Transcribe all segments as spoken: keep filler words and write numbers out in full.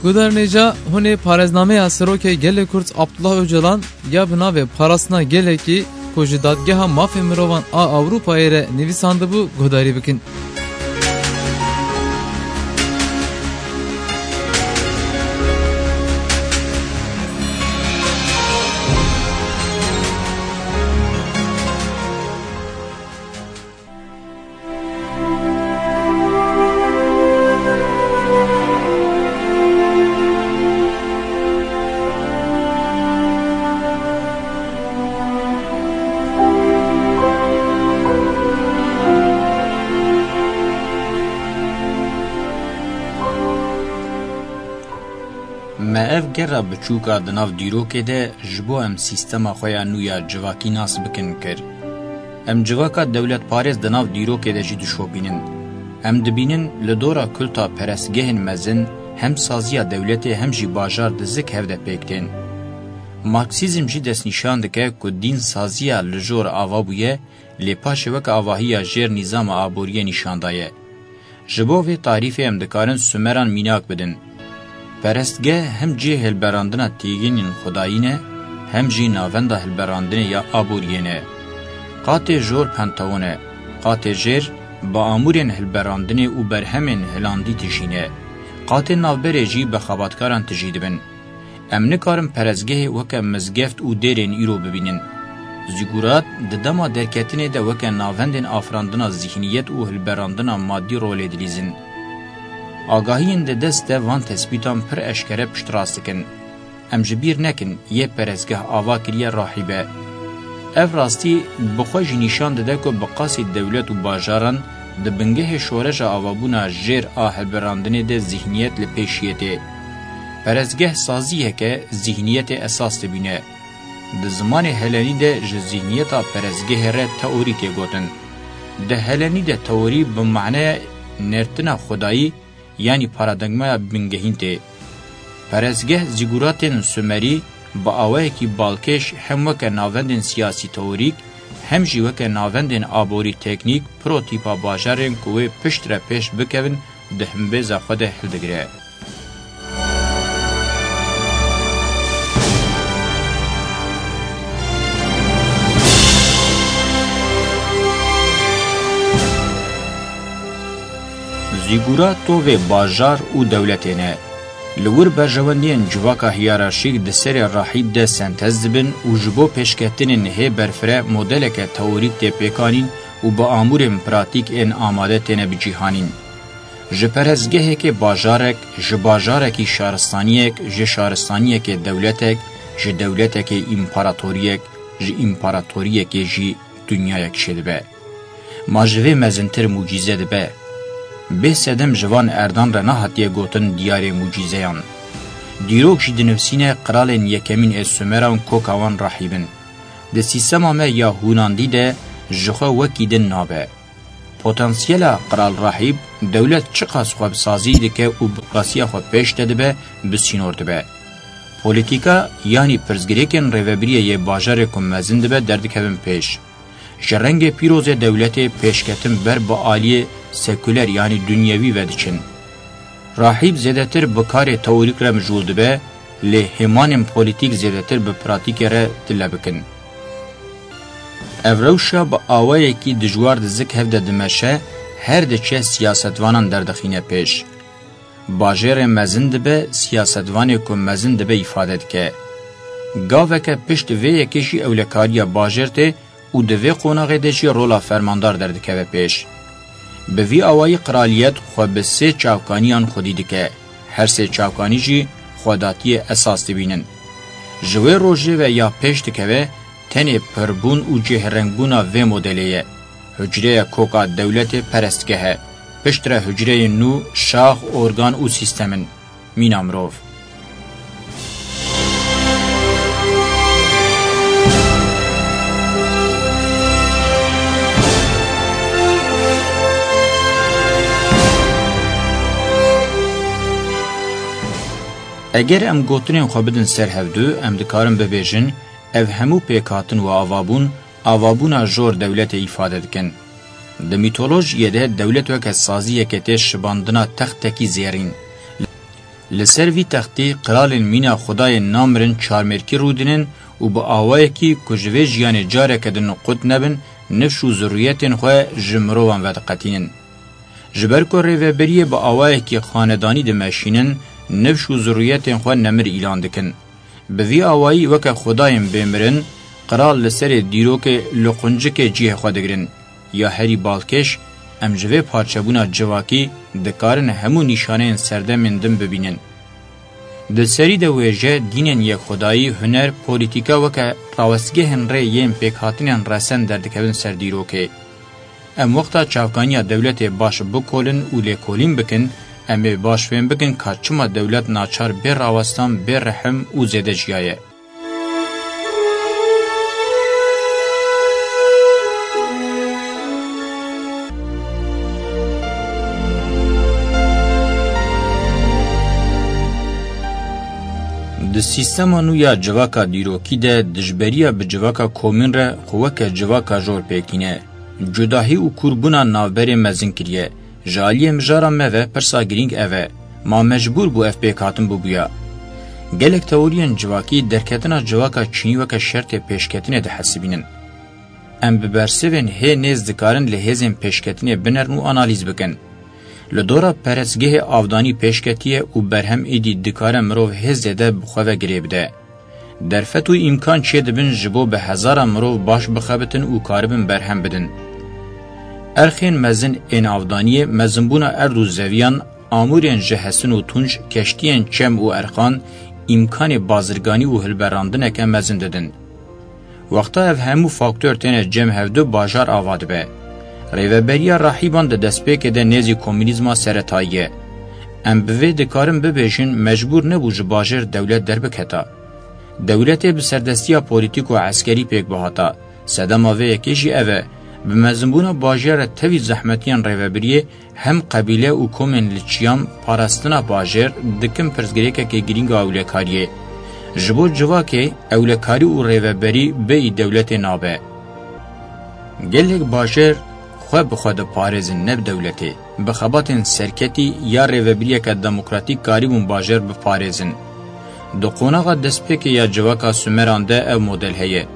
Guhdarên hêja, hûn ê parêznameya Serokê Gelê Kurd Abdullah Ocalan ya bi navê Parastina Gelekî ku ji Dadgeha Mafê Mirovan a Ewropayê re nivîsandibû guhdarî bikin. Me ev gera biçûk a di nav dîrokê de ji bo em sîstema xwe ya nû ya civakî nas bikin kir. Em civaka dewletparêz di nav dîrokê de jî dişopînin. Em dibînin li dora kulta perestgehên mezin hem saziya dewletê hem jî bajar di zik hev de pêk tên. Marksîzm jî destnîşan dike ku dîn saziya li jor ava bûye, lê paşê weke avahiya jêr nîzama aboriyê nîşan daye. Ji bo vê tarîfê em dikarin Sumeran mînak bidin. Perestgeh hem cihê hilberandina tîgînên xwedayî ne, hem jî navenda hilberandinê ya aboriyê ne. Qatê jor Panteon e, qatê jêr bi amûrên hilberandinê û berhemên hilandî tijî ne. Qatê navberê jî bi xebatkaran tijî dibin. Em nikarin perestgehê weke mizgeft û dêrên îro bibînin. Zîgurat di dema derketinê de weke navendên afirandina zîhniyet û hilberandina madî rolê dilîzin. Agahiyên di dest de van tespîtan pir eşkere piştrast dikin. Em ji bîr nekin, yê perestgeh ava kiriye rahîb e. Ev rastî bi xwe jî nîşan dide ku bi qasî dewlet û bajaran di bingehê şoreşa avabûna jêr a hilberandinê de zîhniyet li pêşiyê tê. Perestgeh saziyeke zîhniyetê esas dibîne. Di zimanê helenî de ji zîhniyeta perestgehê re teorî tê gotin. Di helenî de teorî bi maneya nertina xwedayî, yanî paradigmaya bingehîn tê. Perestgeh zîguratên Sumerî bi awayekî balkêş hem weke navendên siyasî teorîk, hem jî weke navendên aborî teknîk protîpa bajarên ku wê piştre pêş bikevin di himbêza xwe de hildigire. Zîgura tovê bajar û dewletê ne. Li wir berjewendiyên civaka hiyerarşîk di serê rahîb de sentez dibin û ji bo pêşketinên hê berfireh modeleke teorîk tê pêkanîn û bi amûrên pratîk ên amade têne bicîhanîn. Ji perestgehekê bajarek, ji bajarekî şaristaniyek, ji şaristaniyekê dewletek, ji dewletekê împaratoriyek, ji împaratoriyekê jî dinyayek çêdibe. Ma ji vê mezintir mucîze dibe? Bê sedem ji van erdan re nehatiye gotin diyarê mucîzeyan. Dîrok jî dinivîsîne qiralên yekemîn ê Sumeran koka wan rahîb in. Di sîstema me ya hûnandî de ji xwe wekî din nabe. Potansiyela qral rahîb, dewlet çiqas xwe bi sazî dike û bi qasiya xwe pêş de dibe, bi sînor dibe. Polîtîka, yanî pirsgirêkên rêvebiriyê yê bajarê ku mezin dibe derdikevin pêş. Ji rengê pîrozê dewletê pêşketin ber bi aliyê sekuler, yanî dunyevî ve diçin. Rahîb zêdetir bi karê teorîk re mijûl dibe, lê hêmanên polîtîk zêdetir bi pratîkê re tile bikin. Ev rewşa bi awayekî dijwar di zik hev de dimeşe, her diçe siyasetvanan derdixîne pêş. Bajêrê mezin dibe, siyasetvanê ku mezin dibe îfade dike. Gaveke pişt vê yekê jî ewlekariya bajêr tê û di vê qonaxê de jî rola fermandar derdikeve pêş. Bi vî awayî qraliyet xwe bi sê çavkaniyan xwedî dike. Her sê çavkanî jî xwedatiyê esas dibînin. Ji wê rojê ve ya pêş dikeve, tenê pirbûn û cihêrengbûna vê modelê ye. Hucreya koka dewletê perestgeh e. Piştre hucreyên nû şax, organ û sîstem in. Mîna mirov. Eger em gotinên xwe bidin ser hevdu, em dikarin bibêjin, ev hemû pêkhatin û avabûn, avabûna jor dewletê îfade dikin. Di mîtolojiyê de dewlet weke saziyeke tê şibandina textekî zêrîn. Li ser vî textî qiralên mîna Xwedayê namirin çarmêrkî rûdinin û bi awayekî ku ji vê jiyanê careke din qut nebin, nifş û zirûyetên xwe ji mirovan vediqetînin. Ji ber ku rêveberiyê bi awayekî xanedanî dimeşînin, nifş û zirûyetên xwe nemir îlan dikin. Bi vî awayî weke xwedayên bêmirin, qral li serê dîrokê li quncikê cihê xwe digirin. Ya herî balkêş, em ji vê parçebûna civakî dikarin hemû nîşaneyên serdemên din bibînin. Di serî de wêje, dînên yekxwedayî, huner, polîtîka weke rawestgehên rê yên pêkhatinên resen derdikevin ser dîrokê. Em wexta çavkaniya dewletê baş bikolin û lêkolîn bikin, em ê baş fêm bikin ka çima dewlet naçar bê rawestan, bê rehim û zêde jiyaye. Di sîstema nû ya civaka dîrokî de dijberiya bi civaka komîn re xwe weke civaka jor pêk tîne. Cudahî û kûrbûna navberê mezin kiriye. Ji aliyê mijara me ve pirsa girîng ev e, ma mecbûr bû ev pêkhatin bibûya? Gelek teoriyên civakî derketina civaka çînî weke şertê pêşketinê dihesibînin. Em bi bersivên hê nêz dikarin li hêzên pêşketinê binerin û analîz bikin. Li dora perestgehê avdanî pêş ketiye û berhem êdî dikare mirov hê zêde bi xwe ve girê bide. Derfet û îmkan çêdibin ji bo bi hezaran mirov baş bixebitin û karibin berhem bidin. Erxên mezin ên avdaniyê, mezinbûna erd û zeviyan, amûrên ji hesin û tunc, keştiyên çem û erxan, îmkanê bazirganî û hilberandineke mezin didin. Wexta ev hemû faktor têne cem hevdu, bajar ava dibe. Rêveberiya rahîban di destpêkê de nêzî komûnîzma seretayî ye. Em bi vê dikarin bibêjin, mecbûr nebû ji bajêr dewlet derbiketa. Dewletê bi serdestiya polîtîk û eskerî pêk bihata. Sedema vê yekê jî ev e, bi mezinbûna bajêr re tevî zehmetiyên rêvebiriyê, hem qebîle û komên li çiyan parastina bajêr dikin pirsgirêkeke girîng a ewlekariyê. Ji bo civakê, ewlekarî û rêveberî bêyî dewletê nabe. Gelek bajêr xwe bi xwe diparêzin, ne bi dewletê. Bi xebatên serketî ya rêvebiriyeke demokratîk karîbûn bajêr biparêzin. Di qonaxa destpêkê ya civaka Sumeran de ev model heye.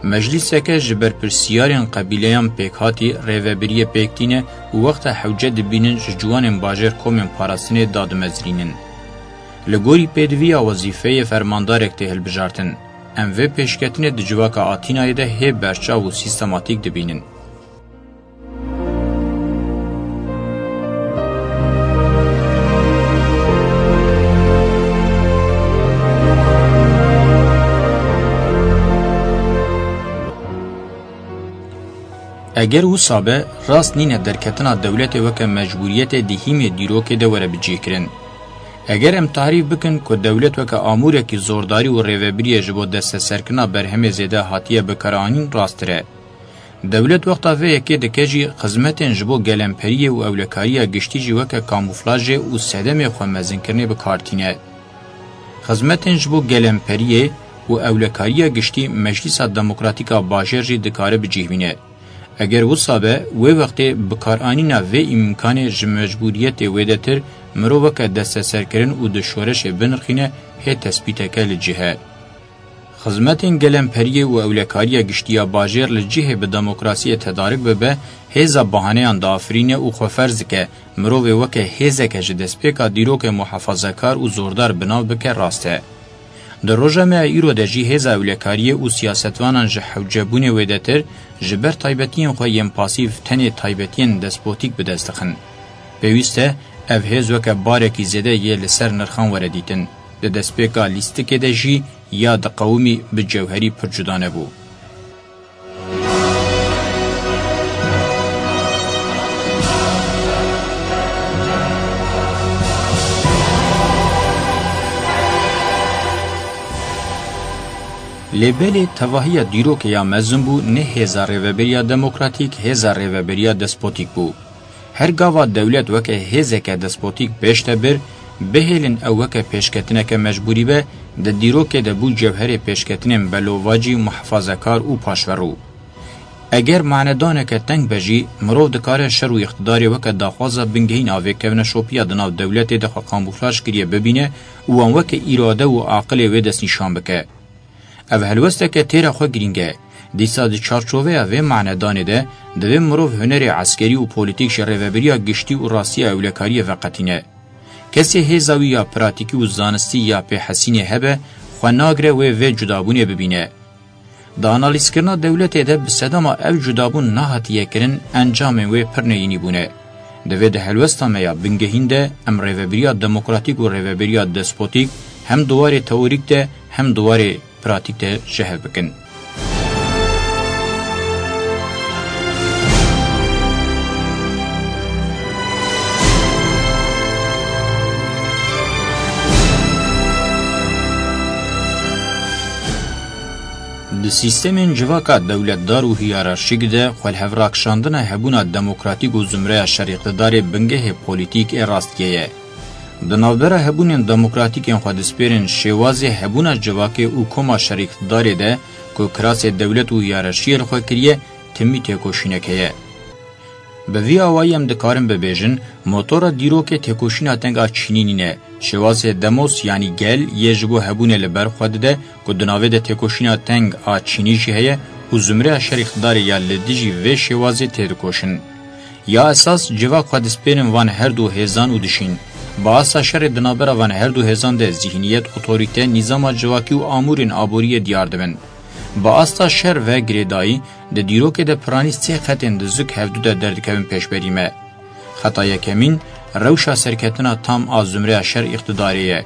Meclîseke ji berpirsiyarên qebîleyan pêkhatî rêvebiriyê pêk tîne û wexta hewce dibînin ji ciwanên bajêr komên parastinê dadimezirînin. Li gorî pêdiviya wezîfeyê fermandarek tê hilbijartin. Em vê pêşketinê di civaka Atînayê de hê berçav û sîstematîk dibînin. Eger wisa be, rast nîne derketina dewletê weke mecbûriyetê di hîmê dîrokê de were bicihkirin. Eger em tarîf bikin ku dewlet weke amûrekî zordarî û rêvebiriyê ji bo desteserkirina berhemê zêde hatiye bikaranîn, rasttir e. Dewlet wexta vê yekê dike jî, xizmetên ji bo gelemperiyê û ewlekariya giştî jî weke kamûflajê û sedemê xwe mezinkirinê bi kar tîne. Xizmetên ji bo gelemperiyê û ewlekariya giştî Meclîsa Demokratîk a Bajêr jî dikare bi cih bîne. Eger wisa be, wê wextê bikaranîna vê îmkanê ji mecbûriyetê wêdetir mirov weke desteserkirin û di şoreşê binirxîne hê tespîteke li cih e. Xizmetên gelemperiyê û ewlekariya giştî ya bajêr li cihê bi demokrasiyê tedarik bibe, hêza bahaneyan diafirîne û xwe ferz dike mirovê weke hêzeke ji destpêka dîrokê muhafazekar û zordar bi nav bike, rast e. Di roja me ya îro de jî hêza ewlekariyê û siyasetvanan ji hewcebûnê wêdetir, ji ber taybetiyên xwe yên pasîf tenê taybetiyên despotîk bi dest dixin. Pêwîst e ev hêz weke barekî zêde yê li ser nirxan were dîtin. Di destpêka lîstikê de jî ya diqewimî bi cewherî pir cuda nebû. Lê belê tevahiya dîrokê ya mezin bû, ne hêza rêveberiya demokratîk, hêza rêveberiya despotîk bû. Her gava dewlet weke hêzeke despotîk pêş de bir, bihêlin ew weke pêşketineke mecbûrî be, di dîrokê de bû cewherê pêşketinên belovacî, muhafazekar û paşverû. Eger manedaneke teng be jî, mirov dikare şer û îqtidarê weke daxwaza bingehîn a vêkevneşopiya di nav dewletê de xwe kamûflaj kiriye bibîne û wan weke îrade û aqilê wê destnîşan bike. Ev helwesteke têra xwe girîng e. Dîsa di çarçoveya vê manedanê de, divê mirov hunerê eskerî û polîtîk ji rêvebiriya giştî û rastiya ewlekariyê veqetîne. Kesê hêza wî ya pratîkî û zanistî ya pêhesînê hebe, xwe nagire wê vê cudabûnê bibîne. Di analîzkirina dewletê de bi sedema ev cudabûn nehatiye kirin, encamên wê pir neyînî bûne. Divê di helwesta me ya bingehîn de em rêvebiriya demokratîk û rêvebiriya despotîk hem di warê teorîk de hem di warê pratîk de ji hev bikin. Di sîstemên civaka dewletdar û hiyerarşîk de xwelhevrakişandina hebûna demokratîk û zumreya şer îqtidarê bingehê polîtîk ê rastiyê ye. Di navbera hebûnên demokratîkên xwedispêrên şêwazê hebûna civakê û koma şer îqtidarê de ku kirasê dewlet û hiyerarşiyê li xwe kiriye, timî têkoşînek heye. Bi vî awayî em dikarin bibêjin, motora dîrokê têkoşîna teng a çînî nîne. Şêwazê demos yanî gel yê ji bo hebûnê li ber xwe dide ku di navê de têkoşîna teng a çînî jî heye û zumreya şer îqtidarê ya li dijî vê şêwazê têdikoşin. Ya esas civak xwedispêrin van her du hêzan û dişîn. Bi asta şerê di navbera van her du hêzan de zîhniyet, otorîte, nîzama civakî û amûrên aboriyê diyar dibin. Bi asta şer ve girêdayî, di dîrokê de piranî sê xetên di zuk hevdu de derdikevin pêşberî me. Xeta yekemîn, rewşa serketina tam a zumreya şer îqtidarê ye.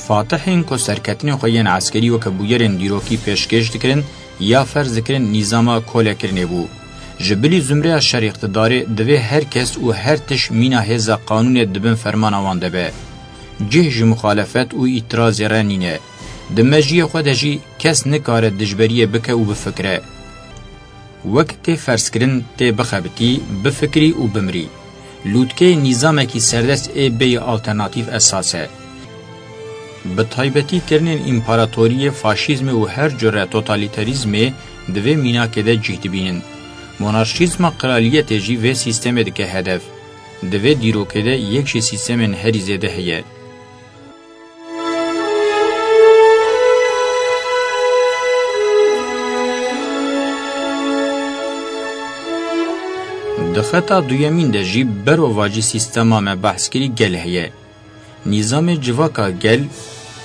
Fatihên ku serketinên xwe yên eskerî weke bûyerên dîrokî pêşkêş dikirin ya ferz dikirin nîzama kolekirinê bû. Ji bilî zumreya şer îqtidarê divê her kes û her tişt mîna hêza qanûnê di bin fermana wan de be. Cih ji muxalefet û îtirazê re nîne. Di mejiyê xwe de jî kes nikare dijberiyê bike û bifikire. Wek tê ferzkirin, tê bixebitî, bifikirî û bimirî. Lûtkeyê nîzamekî serdest ê bêyî alternatîf esas e. Bi taybetî kirinên împaratoriyê, faşîzmê û her cure totalîterîzmê di vê mînakê de cih dibînin. Monarşîzma qraliyetê jî vê sîstemê dike hedef. Di vê dîrokê de yek ji sîstemên herî zêde heye. Di xeta duyemîn de jî berovajî sîstema me behs kirî gel heye. Nîzamê civaka gel,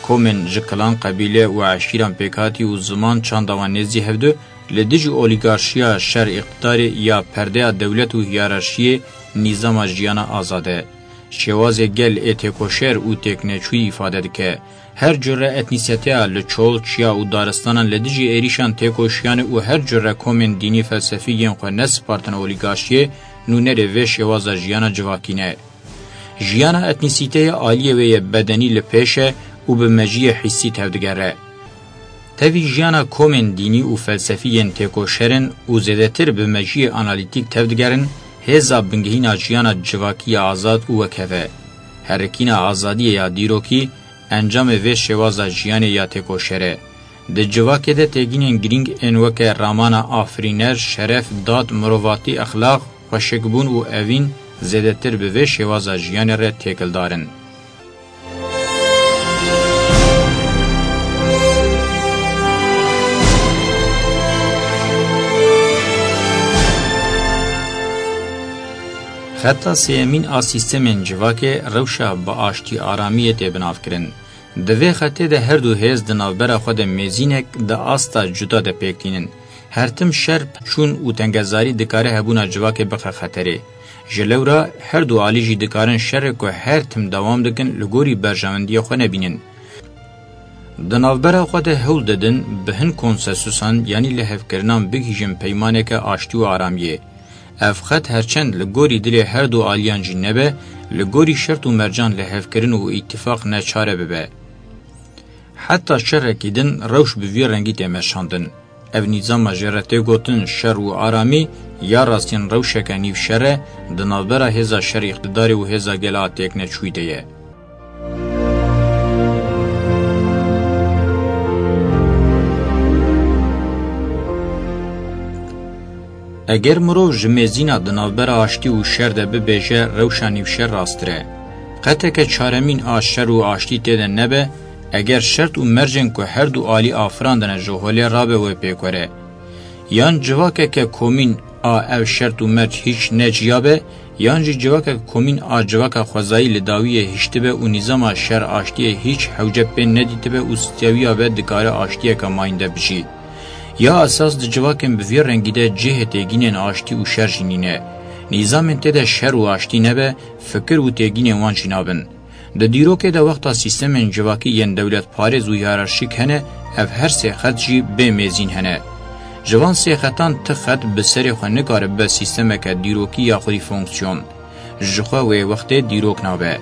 komên ji kilan, qebîle û eşîran pêkhatî û ziman çanda wan nêzî hevdu, li dijî olîgarşiya şer îqtidarê ya perdeya dewlet û hiyerarşiyê nîzama jiyana azad e. Şêwazê gel ê têkoşer û têkneçûyî îfade dike. Her cure etnîseteya li çol, çiya û daristanan li dijî êrîşan têkoşiyane û her cure komên dînî felsefî yên xwe nespartine olîgarşiyê, nûnerê vê şêwaza jiyana civakî ne. Jiyana etnîsîteyê aliyê wê yê bedenî li pêş e û bi mejiyê hîsî tevdigere. Tevî jiyana komên dînî û felsefî yên têkoşer in û zêdetir bi mejiyê analîtîk tevdigerin, hêza bingehîna jiyana civakî ya azad û wekhev e. Herikîna azadiyê ya dîrokî encamê vê şêwaza jiyanê ya têkoşer e. Di civakê de têgînên girîng ên weke ramana afirîner, şeref, dad, mirovatî, exlaq, xweşikbûn û evîn zêdetir bi vê şêwaza jiyanê re têkildar in. Xeta sêyemîn a sîstemên civakê rewşa bi aştî aramiyê tê binavkirin. Di vê xetê de her du hêz di navbera xwe de mêzînek di asta cuda de pêk tînin. Her tim şer, çûn û tengezarî dikare hebûna civakê bixe xeterê. Ji lewra her du alî jî dikarin şerê ku her tim dewam dikin li gorî berjewendiyê xwe nebînin. Di navbera xwe de hewl didin bi hin konsensusan yanî lihevkirinan bigihîjin peymaneke aştî û aramiyê. Ev xet herçend li gorî dilê her du aliyan jî nebe, li gorî şert û mercan lihevkirin û îtîfaq neçare bibe. Heta şerekî din rewş bi vî rengî tê meşandin. Ev nîzama jê re tê gotin şer û aramî, ya rastîn rewşeke nîvşer e, di navbera hêza şer îqtidarê û hêza gela têkneçûyî de ye. Eger mirov ji mêzîna di navbera aştî û şer de bibêje, rewşa nîvşer rasttir e. Qeteke çaremîn a şer û aştî tê de nebe, eger şert û mercên ku her du alî afirandine ji holê rabe wê pêk were. Yan civakeke komîn a ev şert û merc hîç ne ciya be, yan jî civakeke komîn a civaka xwezayî li dawiyê hiştibe û nîzama şer aştiyê hîç hewce pê nedîtibe û styawiya be dikare aştiyeke mayînde bijî. Ya esas di civakên bi vî rengî de cihê têgînên aştî û şer jî nîne. Nîzamên tê de şer û aştî nebe, fikir û têgînên wan jî nabin. Di dîrokê de wexta sîstemên civakî yên dewletparêz û hiyerarşîk hene, ev her sê xet jî bê mêzîn hene. Ji van sê xetan ti xet bi serê xwe nikare bibe sîstemeke dîrokî ya xwedî fonksiyon. Ji xwe wê wextê dîrok nabe.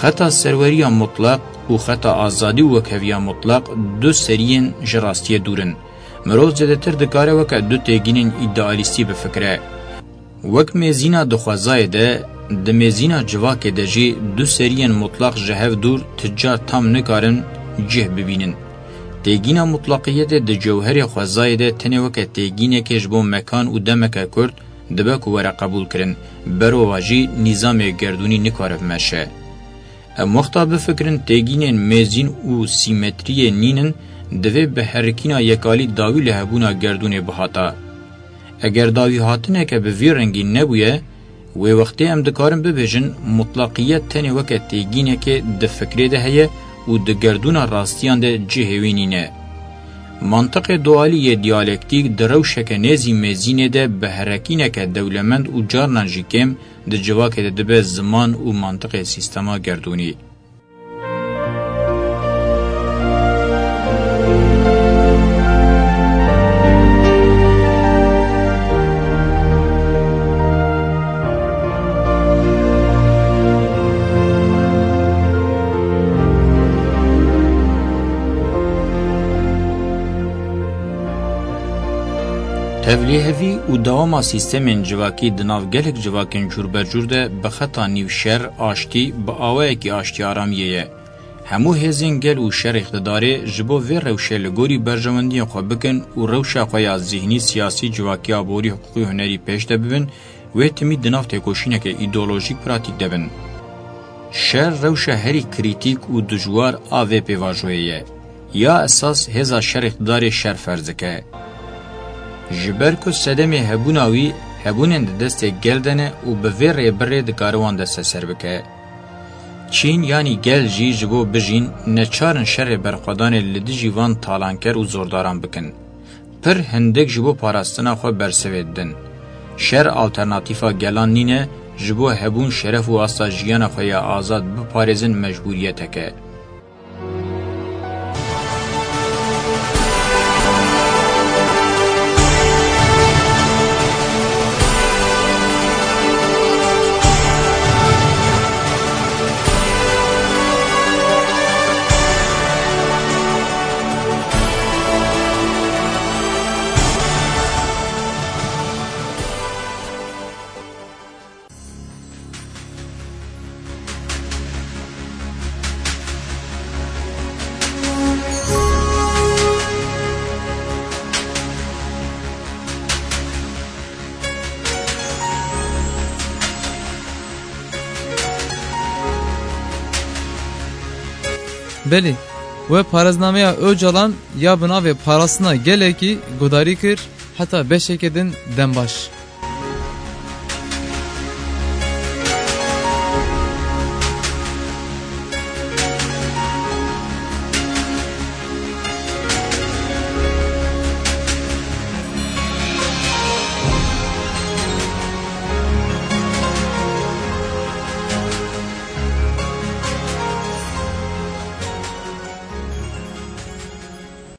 Xeta serweriya mutlaq û xeta azadî û wekheviya mutlaq du seriyên ji rastiyê dûr in. Mirov zêdetir dikare weke du têgînên îdealîstî bifikire. Wek mêzîna di xwezayê de, di mêzîna civakê de jî du seriyên mutlaq ji hev dûr ti car tam nikarin cih bibînin. Têgîna mutlaqiyetê di cewherê xwezayê de tenê weke têgînekê ji bo mekan û demeke kurt dibe ku were qebûlkirin, berova jî nîzamê gerdûnî nikare bimeşe. Em wexta bifikirin têgînên mêzîn û sîmetriyê nînin, divê bi herikîna yekalî dawî li hebûna gerdûnê bihata. Eger dawîhatineke bi vî rengî nebûye, wê wextê em dikarin bibêjin mutlaqiyet tenê weke têgînekê di fikrê de heye û di gerdûna rastiyan de cihê wî nîne. Mantiqê dualî yê diyalektîk di rewşeke nêzî mêzînê de bi herekîneke dewlemend û carnan jî kêm di civakê de dibe ziman û mantiqê sîstema gerdûnî. Tevlîhevî û dewama sîstemên civakî di nav gelek civakên cûrbecûr de bi xeta nîvşer, aştî, bi awayekî aştî aramiyê ye. Hemû hêzên gel û şer îqtidarê ji bo vê rewşê li gorî berjewendiyên xwe bikin û rewşa xwe ya zîhnî, siyasî, civakî, aborî, hiqûqî, hunerî pêş de bibin, wê timî di nav têkoşîneke îdeolojîk pratîk de bin. Şer rewşa herî krîtîk û dijwar a vê pêvajoyê ye. Ya esas hêza şer îqtidarê şer ferz dike. Ji ber ku sedemê hebûna wî hebûnên di destê gel de ne û bi vê rêbirê dikare wan desteser bike. Çîn yanî gel jî ji bo bijîn neçar in şerê berxwedanê li dijî van talanker û zordaran bikin. Pir hindik ji bo parastina xwe bersivê didin. Şer alternatîfa gelan nîne, ji bo hebûn, şeref û asta jiyana xwe ya azad biparêzin mecbûriyetek e. Belê, we parêznameya Ocalan ya bi navê Parastina Gelekî guhdarî kir, heta beşeke din dem baş.